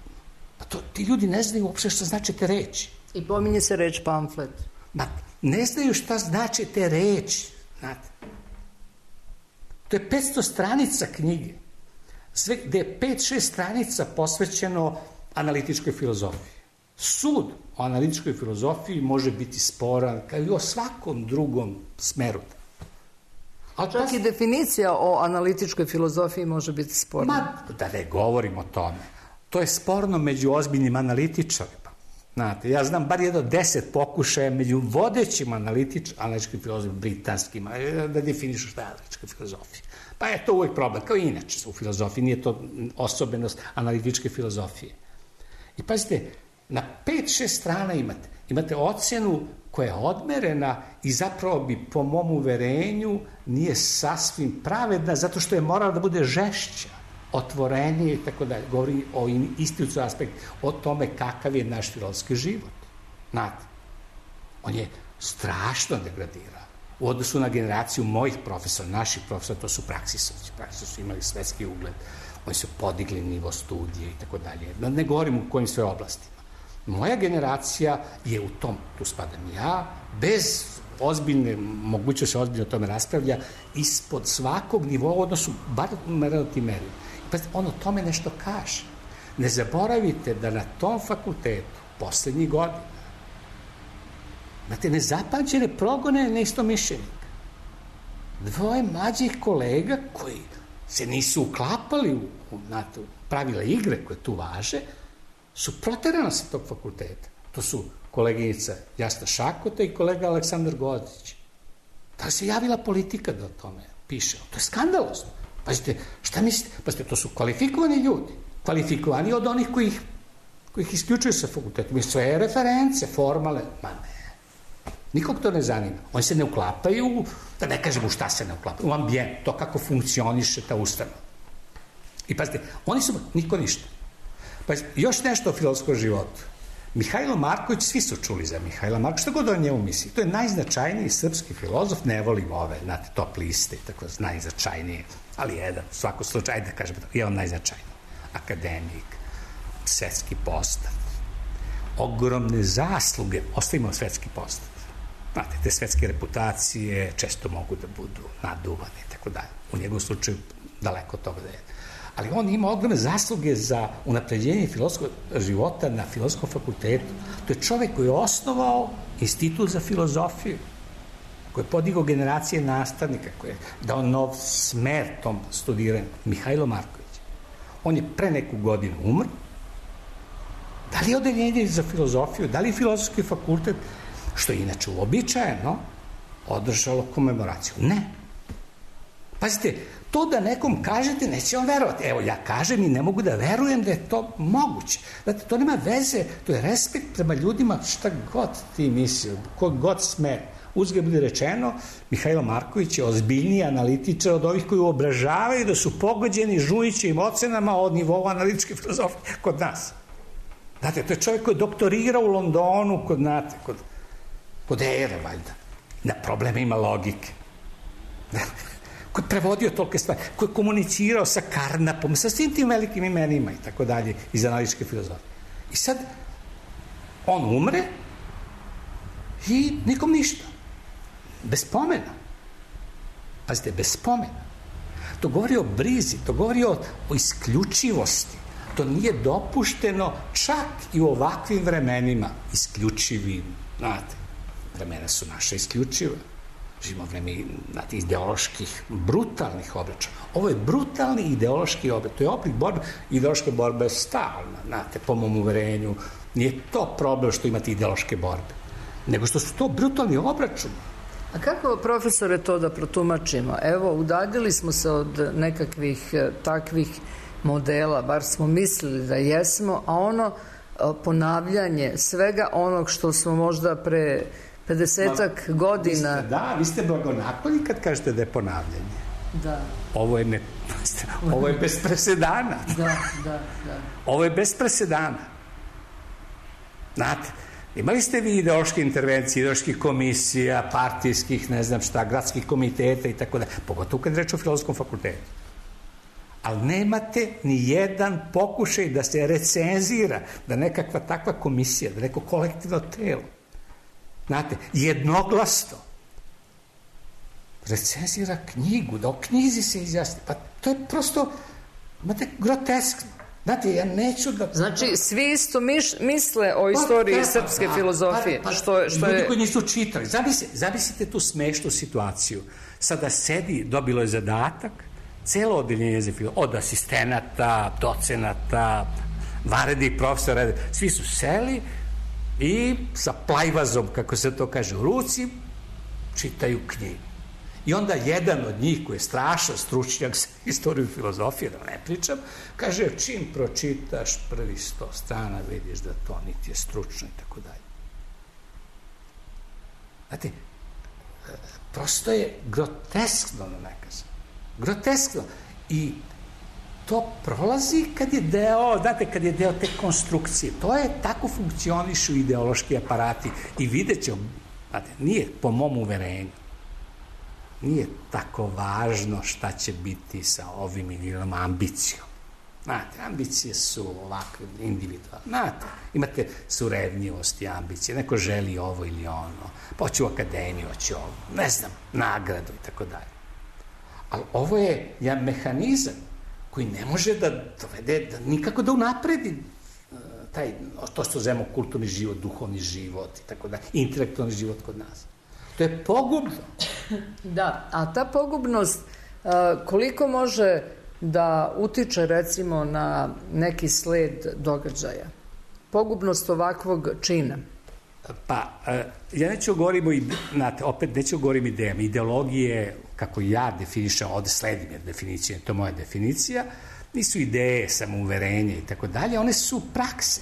Pa to, ti ljudi ne znaju uopšte šta znači te reči. I pominje se reč pamflet. Ma, ne znaju šta znači te reči, znate. To je petsto stranica knjige, sve, gde je pet šest stranica posvećeno analitičkoj filozofiji. Sud o analitičkoj filozofiji može biti sporan, kao i o svakom drugom smeru. A čak i definicija o analitičkoj filozofiji može biti sporna. Ma, da ne govorim o tome. To je sporno među ozbiljnim analitičarima. Znate, ja znam bar jedno deset pokušaja među vodećim analitič, analitičkim filozofima, britanskima, da definišu šta je analitička filozofija. Pa je to uvijek problem, kao i inače u filozofiji, nije to osobenost analitičke filozofije. I pazite, na pet šest strana imate, imate ocenu koja je odmerena i zapravo bi po mom uverenju nije sasvim pravedna zato što je morala da bude žešća, otvorenije i tako dalje. Govori o institucionalnom aspektu, o tome kakav je naš filozofski život. Znate, on je strašno degradirao. U odnosu na generaciju mojih profesora, naših profesora, to su praksisovci. Praksisovci su imali svetski ugled, oni su podigli nivo studije i tako dalje. Da ne govorim u kojim sve oblastima. Moja generacija je u tom, tu spadam ja, bez ozbiljne, moguće se ozbiljno o tome raspravlja, ispod svakog nivoa u odnosu, bar na relativ meri. Pa on o tome nešto kaže. Ne zaboravite da na tom fakultetu poslednjih godina imate nezapamćene progone neistomišljenika. Dvoje mlađih kolega koji se nisu uklapali u, u, u pravila igre koje tu važe, su proterana sa tog fakulteta. To su koleginica Jasna Šakota i kolega Aleksandar Godzić. Da se javila politika da o tome piše. To je skandalozno. Pazite, šta mislite? Pazite, to su kvalifikovani ljudi. Kvalifikovani od onih koji ih, koji ih isključuju sa fakulteta. Mi sve reference, formale, ma ne. Nikog to ne zanima. Oni se ne uklapaju, da ne kažemo šta se ne uklapaju, u ambijent, to kako funkcioniše ta ustanova. I pazite, oni su, niko ništa. Pazite, još nešto o filozofskom životu. Mihajlo Marković, svi su čuli za Mihajla Marković, što god o njemu misli. To je najznačajniji srpski filozof, ne volim ove, znate, top liste, tako najznačajnije, ali jedan, u svakom slučaju, da kažem, je on najznačajniji. Akademik, svetski postav, ogromne zasluge, ostavimo svetski postav. Znate, te svetske reputacije često mogu da budu naduvane i tako dalje. U njegovom slučaju daleko od toga da je. Ali on ima ogromne zasluge za unapređenje filozofskog života na filozofskom fakultetu. To je čovek koji je osnovao institut za filozofiju, koji je podigao generacije nastavnika, koji je dao nov smer tom studiranju. Mihajlo Marković. On je pre neku godinu umr. Da li je odeljenje za filozofiju, da li je filozofski fakultet, što je inače uobičajeno, održalo komemoraciju? Ne. Pazite, to da nekom kažete, neće on verovati. Evo, ja kažem i ne mogu da verujem da je to moguće. Znate, to nema veze, to je respekt prema ljudima, šta god ti mislio, kog god sme. Uzgled bude rečeno, Mihajlo Marković je ozbiljniji analitičar od ovih koji obražavaju da su pogođeni žujićim ocenama od nivova analitičke filozofije kod nas. Znate, to je čovjek koji je doktorirao u Londonu, kod, znate, kod, kod Ere, valjda. Na probleme ima logike. Koji je prevodio tolike stvari, koji je komunicirao sa Karnapom, sa svim tim velikim imenima i tako dalje, iz analitičke filozofije. I sad, on umre i nikom ništa. Bez spomena. Pazite, bez spomena. To govori o brizi, to govori o, o isključivosti. To nije dopušteno čak i u ovakvim vremenima, isključivim, znate, vremena su naše isključive. Živimo vreme, znate, ideoloških, brutalnih obračuna. Ovo je brutalni ideološki obrač. To je oblik borbe, ideološke borbe je stalna, znate, po mom uverenju. Nije to problem što imate ideološke borbe, nego što su to brutalni obračuni. A kako, profesore, to da protumačimo? Evo, udaljili smo se od nekakvih takvih modela, bar smo mislili da jesmo, a ono ponavljanje svega onog što smo možda pre pedesetak godina... Vi ste, da, vi ste blagonakloni kad kažete da je ponavljanje. Da. Ovo je, ne, ovo je bez presedana. Da, da, da. Ovo je bez presedana. Znate, imali ste vi ideološke intervencije, ideoloških komisija, partijskih, ne znam šta, gradskih komiteta i tako da, pogotovo kad reč o filozofskom fakultetu. Ali nemate ni jedan pokušaj da se recenzira, da nekakva takva komisija, da neko kolektivno telo, znate, jednoglasno recenzira knjigu, da o knjizi se izjasni. Pa to je prosto, znate, groteskno. Znate, ja neću da... Znači, svi isto miš, misle o istoriji pa, srpske pa, filozofije. Pa, pa, što je, što ljudi je... koji nisu čitali. Zamislite, zamislite tu smešnu situaciju. Sada sedi, dobilo je zadatak, celo odeljenje za filozofiju, od asistenata, docenata, vanrednih profesora, svi su seli i sa plajvazom, kako se to kaže, u ruci, čitaju knjigu. I onda jedan od njih, koji je strašan stručnjak za istoriju filozofije, da ne pričam, kaže, čim pročitaš prvi sto strana, vidiš da to niti je stručno i tako dalje. Znate, prosto je groteskno, da ne kažem. Groteskno. I to prolazi kad je deo, znate, kad je deo te konstrukcije. To je, tako funkcionišu ideološki aparati. I vidjet ćemo, znate, nije po mom uverenju, nije tako važno šta će biti sa ovim ili onom ambicijom. Znate, ambicije su ovakve individualne. Znate, imate surevnjivost i ambicije. Neko želi ovo ili ono. Pa hoće u akademiju, hoće ovo. Ne znam, nagradu i tako dalje. Ali ovo je jedan mehanizam koji ne može da dovede, da nikako da unapredi taj, to što zovemo kulturni život, duhovni život i tako dalje, intelektualni život kod nas. To je pogubno. Da, a ta pogubnost koliko može da utiče recimo na neki sled događaja? Pogubnost ovakvog čina. Pa, ja neću govorimo, znate, opet neću govorim idejama. Ideologije, kako ja definišem, ovde sledim jer definicija, to je moja definicija, nisu ideje, samouverenje i tako dalje, one su prakse.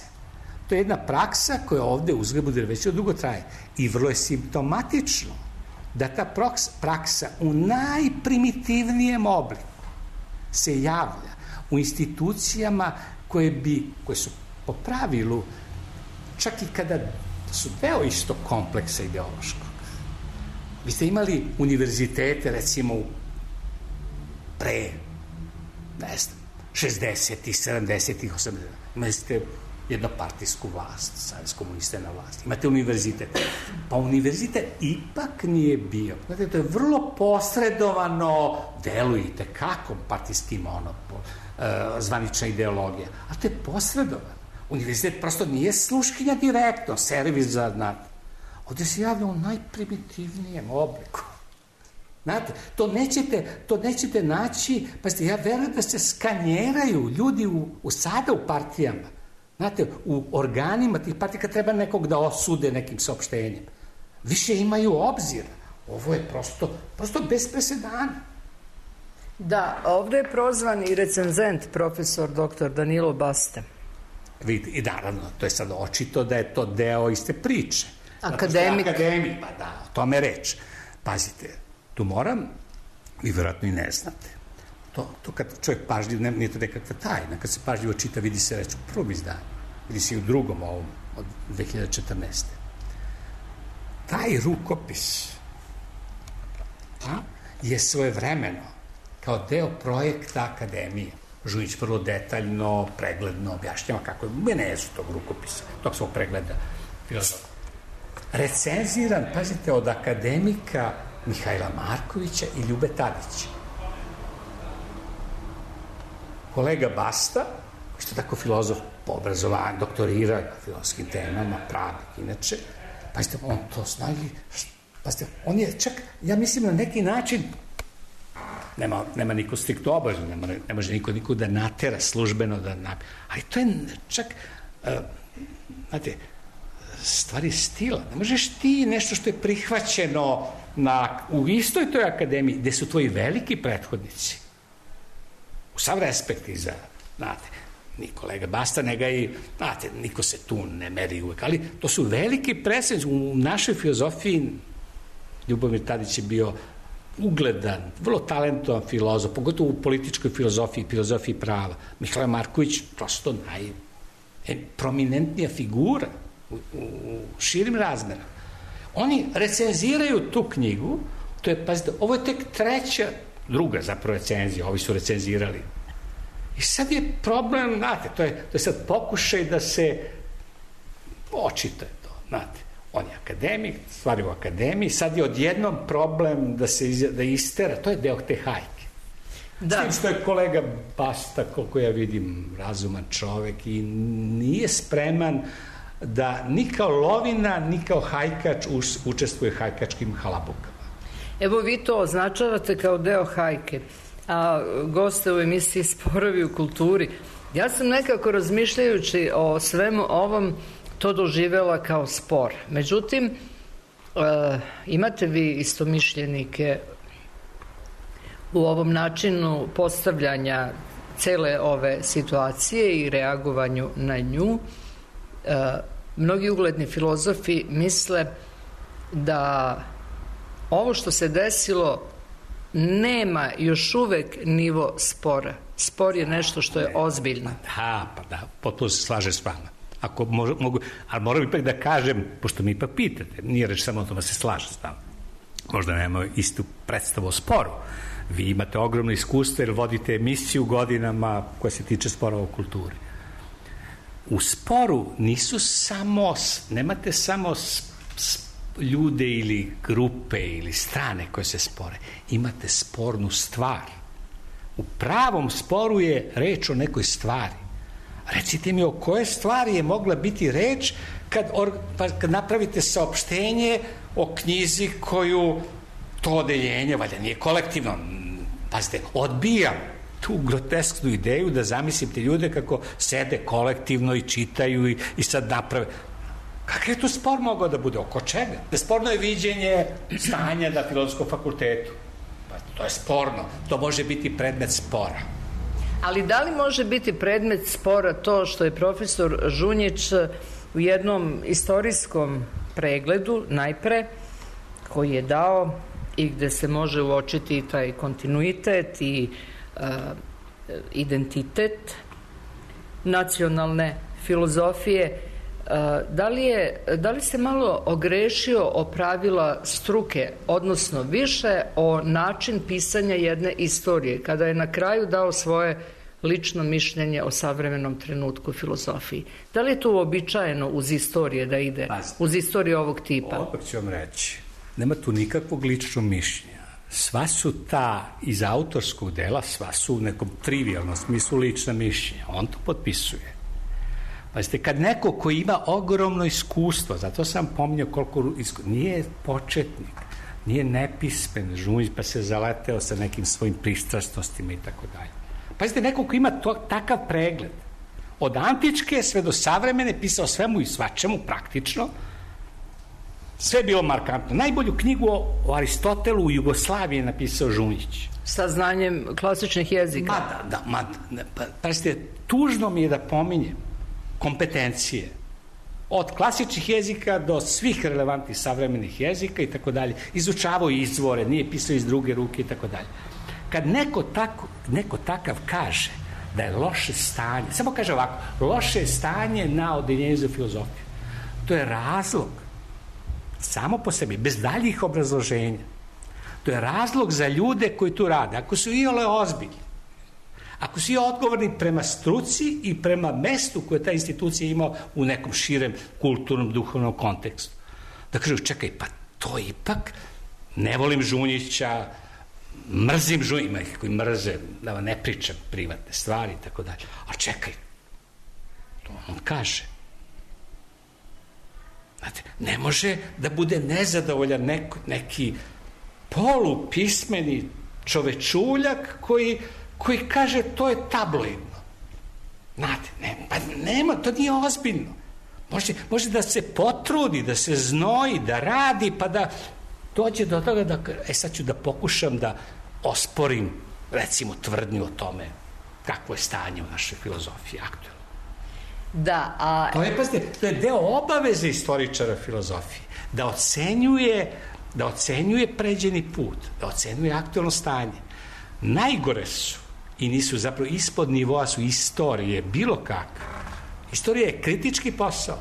To je jedna praksa koja ovde uzgled bude već dugo traje. I vrlo je simptomatično da ta praksa u najprimitivnijem obliku se javlja u institucijama koje bi, koje su po pravilu, čak i kada su deo isto kompleksa ideološkog. Vi ste imali univerzitete, recimo, pre, ne znam, šezdesetih, sedamdesetih, osamdesetih. Imali ste jednopartijsku vlast, savez komunista na vlasti. Imate univerzitet. Pa univerzitet ipak nije bio. Znate, to je vrlo posredovano, delujete kako partijski monopol, zvanična ideologija. A to je posredovano. Univerzitet prosto nije sluškinja direktno, servis za, znate. Ovde se javlja u najprimitivnijem obliku. Znate, to nećete, to nećete naći, pazite, ja verujem da se skanjeraju ljudi u, u sada u partijama. Znate, u organima tih partija kad treba nekog da osude nekim saopštenjem. Više imaju obzira. Ovo je prosto, prosto bez presedana. Da, ovde je prozvan i recenzent, profesor doktor Danilo Basta. Vidite, i naravno, to je sad očito da je to deo iste priče. Akademik. Akademik, pa da, o tome reč. Pazite, tu moram, vi vjerojatno i ne znate. To, to kad čovjek pažljiv, ne, nije to nekakva tajna, kad se pažljivo čita, vidi se reč u prvom izdanju, vidi se i u drugom ovom, od dve hiljade četrnaeste. Taj rukopis a, je svojevremeno, kao deo projekta Akademije. Žunić vrlo detaljno, pregledno objašnjava kako je genezu tog rukopisa, tog svog pregleda filozofije. Recenziran, pazite, od akademika Mihajla Markovića i Ljube Tadića. Kolega Basta, što je tako filozof po obrazovanju, doktorira na filozofskim temama, pravnik inače, pazite, on to zna i, pazite, on je čak, ja mislim na neki način, nema, nema niko striktno obavezno, nema, ne može niko, niko da natera službeno, da na, ali to je čak, uh, znate, stvari stila. Ne možeš ti nešto što je prihvaćeno na, u istoj toj akademiji, gde su tvoji veliki prethodnici, u sav respekt i za, znate, ni kolega Basta, nega i, znate, niko se tu ne meri uvek, ali to su veliki predstavnici. U našoj filozofiji Ljubomir Tadić je bio ugledan, vrlo talentovan filozof, pogotovo u političkoj filozofiji, filozofiji prava. Mihajlo Marković, prosto najprominentnija figura u, u širim razmerama. Oni recenziraju tu knjigu, to je, pazite, ovo je tek treća, druga zapravo recenzija, ovi su recenzirali. I sad je problem, znate, to je, to je sad pokušaj da se očita to, znate. On je akademik, stvari u akademiji, sad je odjednom problem da se da istera, to je deo te hajke. Da. S tim što je kolega Basta, koliko ja vidim, razuman čovek i nije spreman da ni kao lovina, ni kao hajkač učestvuje hajkačkim halabukama. Evo vi to označavate kao deo hajke, a goste u emisiji Sporovi u kulturi. Ja sam nekako razmišljajući o svemu ovom to doživela kao spor. Međutim, e, imate vi istomišljenike u ovom načinu postavljanja cele ove situacije i reagovanju na nju. E, mnogi ugledni filozofi misle da ovo što se desilo nema još uvek nivo spora. Spor je nešto što je ozbiljno. Da, pa da, potpuno se slažem s vama. Ako mogu, mogu, ali moram ipak da kažem, pošto mi ipak pitate, nije reč samo o tome da se slažem s vama. Možda nema istu predstavu o sporu. Vi imate ogromno iskustvo jer vodite emisiju godinama koja se tiče sporova u kulturi. U sporu nisu samo, nemate samo ljude ili grupe ili strane koje se spore. Imate spornu stvar. U pravom sporu je reč o nekoj stvari. Recite mi o koje stvari je mogla biti reč kad, or, pa kad napravite saopštenje o knjizi koju to odeljenje, valjda nije kolektivno, pazite, odbijam tu grotesknu ideju da zamislim te ljude kako sede kolektivno i čitaju i, i sad naprave. Kakav je tu spor mogao da bude? Oko čega? Sporno je viđenje stanja na Filozofskom fakultetu. Pa to je sporno. To može biti predmet spora. Ali da li može biti predmet spora to što je profesor Žunjić u jednom istorijskom pregledu, najpre, koji je dao i gde se može uočiti taj kontinuitet i uh, identitet nacionalne filozofije, Da li, je, da li se malo ogrešio o pravila struke, odnosno više o način pisanja jedne istorije, kada je na kraju dao svoje lično mišljenje o savremenom trenutku filozofiji? Da li je to uobičajeno uz istorije da ide, uz istoriju ovog tipa? Opet ću vam reći, nema tu nikakvog ličnog mišljenja. Sva su ta iz autorskog dela, sva su u nekom trivijalnom smislu lična mišljenja. On to potpisuje. Pazite, kad neko ko ima ogromno iskustvo, zato sam pominjao koliko iskustvo, nije početnik, nije nepismen Žunjić pa se zaleteo sa nekim svojim pristrasnostima i tako dalje. Pazite, neko ko ima to, takav pregled, od antičke sve do savremene, pisao svemu i svačemu praktično, sve je bilo markantno. Najbolju knjigu o Aristotelu u Jugoslaviji je napisao Žunjić. Sa znanjem klasičnih jezika. Ma da, da, ma da, pa, pazite, tužno mi je da pominjem kompetencije od klasičnih jezika do svih relevantnih savremenih jezika i tako dalje. Izučavao izvore, nije pisao iz druge ruke i tako dalje. Kad neko, tako, neko takav kaže da je loše stanje, samo kaže ovako, loše je stanje na odeljenju za filozofiju, to je razlog samo po sebi, bez daljih obrazloženja. To je razlog za ljude koji tu rade. Ako su iole ozbiljni, ako su i odgovorni prema struci i prema mestu koje ta institucija ima u nekom širem kulturnom, duhovnom kontekstu. Da kažu, čekaj, pa to ipak, ne volim Žunjića, mrzim Žunjića, ima ih koji mrze, da vam ne pričam privatne stvari i tako dalje. A čekaj, to on kaže. Znate, ne može da bude nezadovoljan neko, neki polupismeni čovečuljak koji koji kaže to je tabloidno. Znate, ne, pa nema, to nije ozbiljno. Može, može da se potrudi, da se znoji, da radi, pa da dođe do toga da, e sad ću da pokušam da osporim, recimo, tvrdnju o tome kakvo je stanje u našoj filozofiji aktualno. Da, a... To je, pazite, to je deo obaveze istoričara filozofije, da ocenjuje, da ocenjuje pređeni put, da ocenjuje aktualno stanje. Najgore su i nisu zapravo ispod nivoa su istorije, bilo kakve. Istorija je kritički posao.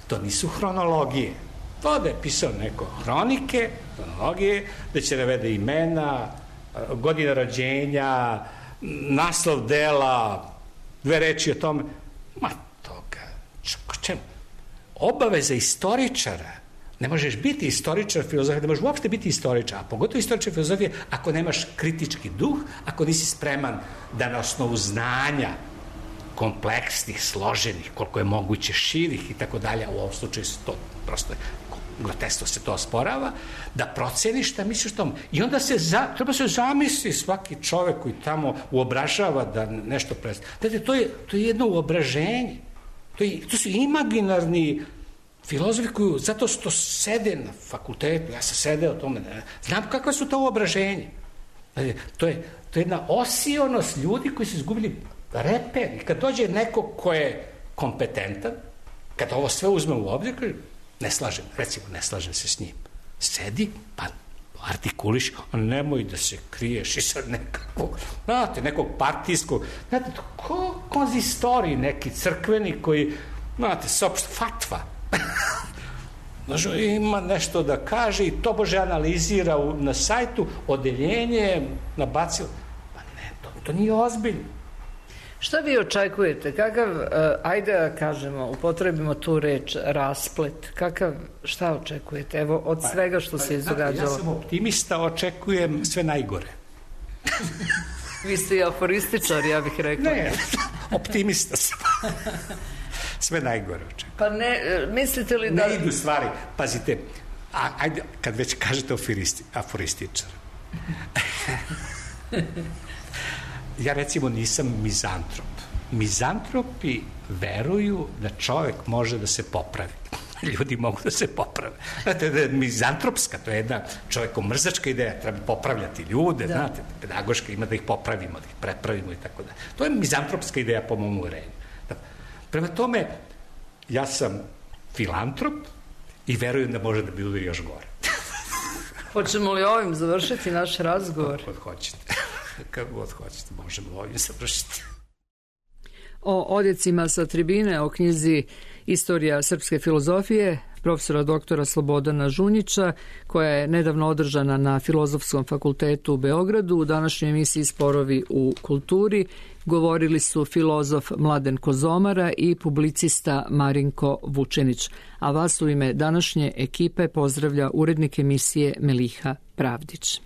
To nisu hronologije. To da je pisao neko hronike, hronologije, da će navede imena, godina rođenja, naslov dela, dve reči o tome. Ma toga, čemu? Obaveza istoričara, ne možeš biti istoričar filozofije, ne možeš uopšte biti istoričar, a pogotovo istoričar filozofije ako nemaš kritički duh, ako nisi spreman da na osnovu znanja kompleksnih, složenih, koliko je moguće širih i tako dalje, u ovom slučaju se to prosto groteskno se to osporava, da proceniš šta misliš tomu. I onda se za, treba se zamisli svaki čovek koji tamo uobražava da nešto predstavlja. Dakle, to je, to je jedno uobraženje. To, je, to su imaginarni filozofi koji, zato što sede na fakultetu, ja sam sedeo o tome, znam kakva su to uobraženje. Dakle, to je, to je jedna osionost ljudi koji su izgubili reper. I kad dođe neko ko je kompetentan, kad ovo sve uzme u obzir, ne slažem, recimo, ne slažem se s njim. Sedi, pa artikuliš, a nemoj da se kriješ i sad nekako, znate, nekog partijskog, znate, ko konzistorij neki crkveni koji, znate, sopšt, fatva. Znaš, ima nešto da kaže i to bože analizira u, na sajtu, odeljenje, nabacilo. Pa ne, to, to nije ozbiljno. Šta vi očekujete? Kakav, uh, ajde da kažemo, upotrebimo tu reč rasplet, kakav, šta očekujete? Evo, od pa, svega što pa, se izdogađalo. Ja sam optimista, očekujem sve najgore. Vi ste i aforističar, ja bih rekla. Ne, optimista sam. Sve najgore očekujem. Pa ne, mislite li da... Ne idu stvari, pazite, a, ajde, kad već kažete aforisti, aforističar. Ja recimo nisam mizantrop. Mizantropi veruju da čovjek može da se popravi. Ljudi mogu da se poprave. Znate, da je mizantropska, to je jedna čovjekomrzačka ideja, treba popravljati ljude, da. Znate, pedagoška ima da ih popravimo, da ih prepravimo i tako da. To je mizantropska ideja po mom uverenju. Prema tome, ja sam filantrop i verujem da može da bude još gore. Hoćemo li ovim završiti naš razgovor? Kako god hoćete. Kako god hoćete, možemo ovim završiti. O odjecima sa tribine, o knjizi Istorija srpske filozofije profesora doktora Slobodana Žunjića, koja je nedavno održana na Filozofskom fakultetu u Beogradu. U današnjoj emisiji Sporovi u kulturi govorili su filozof Mladen Kozomara i publicista Marinko Vučenić. A vas u ime današnje ekipe pozdravlja urednik emisije Meliha Pravdić.